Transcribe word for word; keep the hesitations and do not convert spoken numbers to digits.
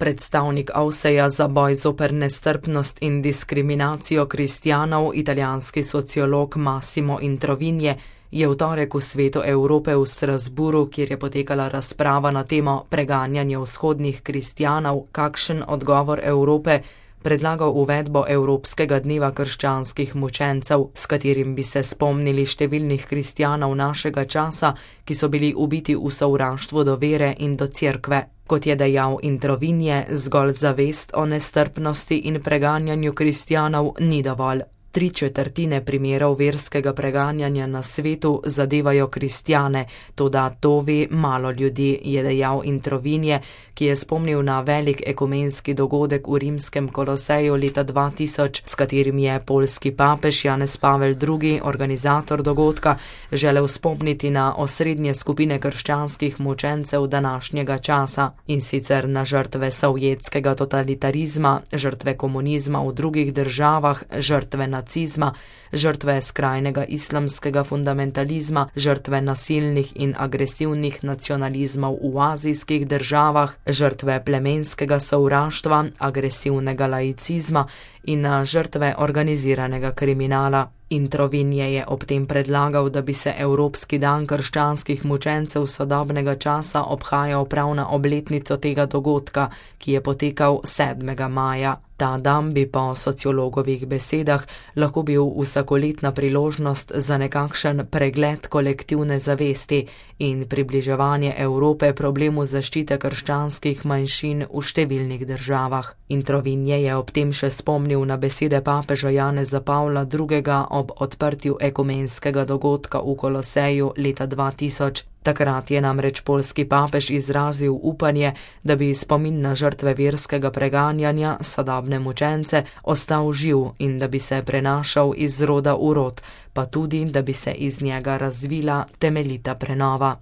Predstavnik Avseja za boj zoper nestrpnost in diskriminacijo kristjanov, italijanski sociolog Massimo Introvigne, je v torek v Svetu Evrope v Strasbourgu, kjer je potekala razprava na temo preganjanja vzhodnih kristjanov, kakšen odgovor Evrope, predlagal uvedbo Evropskega dneva krščanskih mučencev, s katerim bi se spomnili številnih kristjanov našega časa, ki so bili ubiti v sovraštvu do vere in do cerkve. Kot je dejal Introvigne, zgolj zavest o nestrpnosti in preganjanju kristjanov ni dovolj. Tri četrtine primerov verskega preganjanja na svetu zadevajo kristjane, toda to ve malo ljudi, je dejal Introvigne, ki je spomnil na velik ekumenski dogodek v rimskem Koloseju leta dva tisoč, s katerim je poljski papež Janez Pavel drugi, organizator dogodka, želel spomniti na osrednje skupine krščanskih mučencev današnjega časa, in sicer na žrtve sovjetskega totalitarizma, žrtve komunizma v drugih državah, žrtve nacizma, žrtve skrajnega islamskega fundamentalizma, žrtve nasilnih in agresivnih nacionalizmov v azijskih državah, žrtve plemenskega sovraštva, agresivnega laicizma in na žrtve organiziranega kriminala. Introvigne je ob tem predlagal, da bi se Evropski dan krščanskih mučencev sodobnega časa obhajal prav na obletnico tega dogodka, ki je potekal sedmega maja. Ta dan bi po sociologovih besedah lahko bil vsakoletna priložnost za nekakšen pregled kolektivne zavesti in približevanje Evrope problemu zaščite krščanskih manjšin v številnih državah. Introvigne je ob tem še spomnil na besede papeža Janeza Pavla drugega ob odprtju ekumenskega dogodka v Koloseju leta dva tisoč. Takrat je namreč poljski papež izrazil upanje, da bi spomin na žrtve verskega preganjanja, sodobne mučence, ostal živ in da bi se prenašal iz roda v rod, pa tudi, da bi se iz njega razvila temeljita prenova.